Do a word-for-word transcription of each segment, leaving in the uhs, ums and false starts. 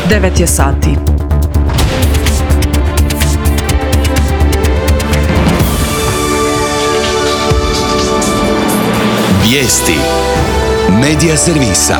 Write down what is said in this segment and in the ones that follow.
devet je sati. Vijesti Medija servisa.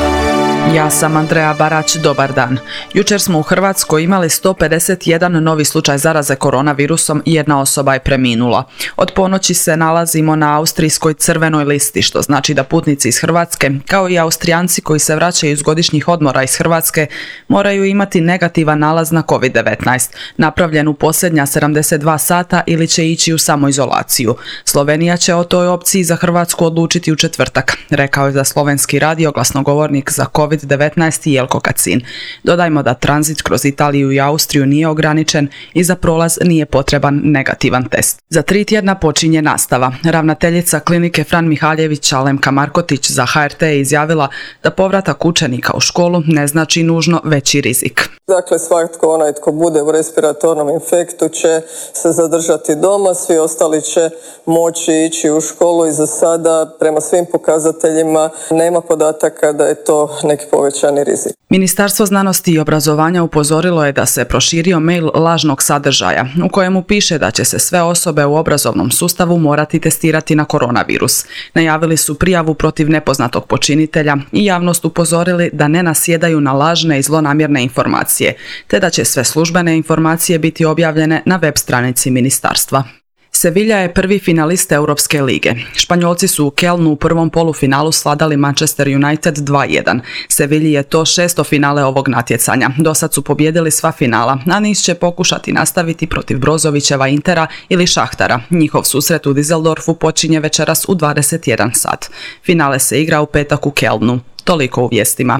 Ja sam Andreja Barać, dobar dan. Jučer smo u Hrvatskoj imali sto pedeset jedan novi slučaj zaraze koronavirusom i jedna osoba je preminula. Od ponoći se nalazimo na austrijskoj crvenoj listi, što znači da putnici iz Hrvatske, kao i Austrijanci koji se vraćaju iz godišnjih odmora iz Hrvatske, moraju imati negativan nalaz na kovid devetnaest, napravljen u posljednja sedamdeset dva sata ili će ići u samoizolaciju. Slovenija će o toj opciji za Hrvatsku odlučiti u četvrtak, rekao je za slovenski radio glasnogovornik za kovid devetnaest Jelko Kacin. Dodajmo da tranzit kroz Italiju i Austriju nije ograničen i za prolaz nije potreban negativan test. Za tri tjedna počinje nastava. Ravnateljica klinike Fran Mihaljević Alemka Markotić za H R T je izjavila da povratak učenika u školu ne znači nužno veći rizik. Dakle, svatko onaj tko bude u respiratornom infektu će se zadržati doma, svi ostali će moći ići u školu i za sada prema svim pokazateljima nema podataka da je to neki povećani rizik. Ministarstvo znanosti i obrazovanja upozorilo je da se proširio mail lažnog sadržaja u kojemu piše da će se sve osobe u obrazovnom sustavu morati testirati na koronavirus. Najavili su prijavu protiv nepoznatog počinitelja i javnost upozorili da ne nasjedaju na lažne i zlonamjerne informacije, te da će sve službene informacije biti objavljene na web stranici ministarstva. Sevilla je prvi finalist Europske lige. Španjolci su u Kelnu u prvom polufinalu svladali Manchester United dva jedan. Sevilji je to šesto finale ovog natjecanja. Dosad su pobijedili sva finala, a niz će pokušati nastaviti protiv Brozovićeva Intera ili Šahtara. Njihov susret u Düsseldorfu počinje večeras u dvadeset jedan sat. Finale se igra u petak u Kelnu. Toliko u vijestima.